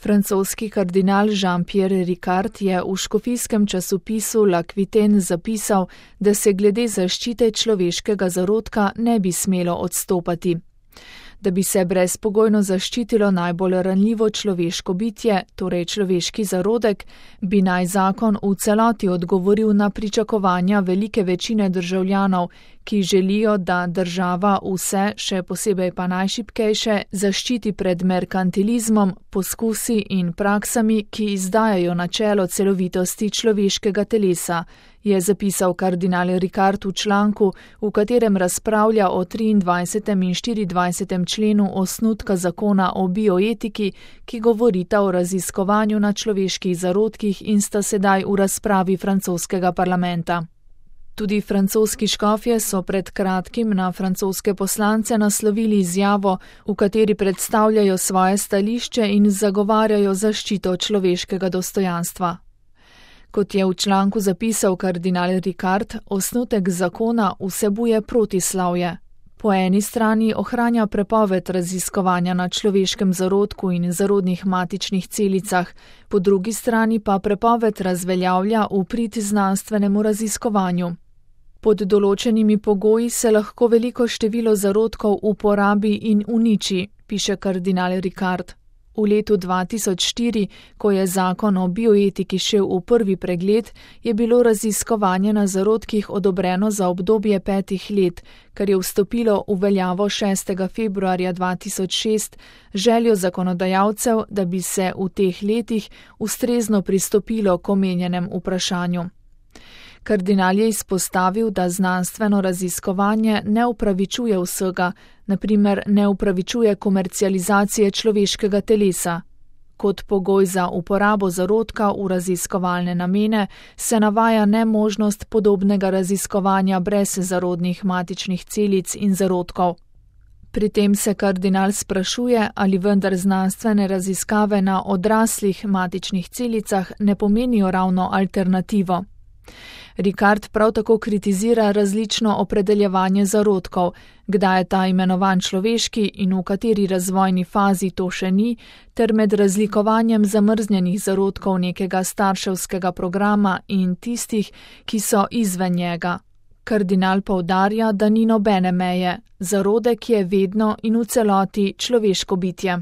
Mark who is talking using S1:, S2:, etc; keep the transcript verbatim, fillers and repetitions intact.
S1: Francoski kardinal Jean-Pierre Ricard je v škofijskem časopisu L'Aquitaine zapisal, da se glede zaščite človeškega zarodka ne bi smelo odstopati. Da bi se brezpogojno zaščitilo najbolj ranljivo človeško bitje, torej človeški zarodek, bi naj zakon v celoti odgovoril na pričakovanja velike večine državljanov, ki želijo, da država vse, še posebej pa najšibkejše, zaščiti pred merkantilizmom, poskusi in praksami, ki izdajajo načelo celovitosti človeškega telesa, je zapisal kardinal Ricard v članku, v katerem razpravlja o triindvajsetem in štiriindvajsetem členu osnutka zakona o bioetiki, ki govorita o raziskovanju na človeških zarodkih in sta sedaj v razpravi francoskega parlamenta. Tudi francoski škofje so pred kratkim na francoske poslance naslovili izjavo, v kateri predstavljajo svoje stališče in zagovarjajo zaščito človeškega dostojanstva. Kot je v članku zapisal kardinal Ricard, osnutek zakona vsebuje protislavje. Po eni strani ohranja prepoved raziskovanja na človeškem zarodku in zarodnih matičnih celicah, po drugi strani pa prepoved razveljavlja v prid znanstvenemu raziskovanju. Pod določenimi pogoji se lahko veliko število zarodkov uporabi in uniči, piše kardinal Ricard. V letu dva tisoč štiri, ko je zakon o bioetiki šel v prvi pregled, je bilo raziskovanje na zarodkih odobreno za obdobje petih let, kar je vstopilo v veljavo šestega februarja dva tisoč šest, željo zakonodajalcev, da bi se v teh letih ustrezno pristopilo k omenjenem vprašanju. Kardinal je izpostavil, da znanstveno raziskovanje ne upravičuje vsega, na primer ne upravičuje komercializacije človeškega telesa. Kot pogoj za uporabo zarodka v raziskovalne namene se navaja nemožnost podobnega raziskovanja brez zarodnih matičnih celic in zarodkov. Pri tem se kardinal sprašuje, ali vendar znanstvene raziskave na odraslih matičnih celicah ne pomenijo ravno alternativo. Ricard prav tako kritizira različno opredeljevanje zarodkov, kdaj je ta imenovan človeški in v kateri razvojni fazi to še ni, ter med razlikovanjem zamrznjenih zarodkov nekega starševskega programa in tistih, ki so izven njega. Kardinal poudarja, da ni nobene meje, zarodek je vedno in v celoti človeško bitje.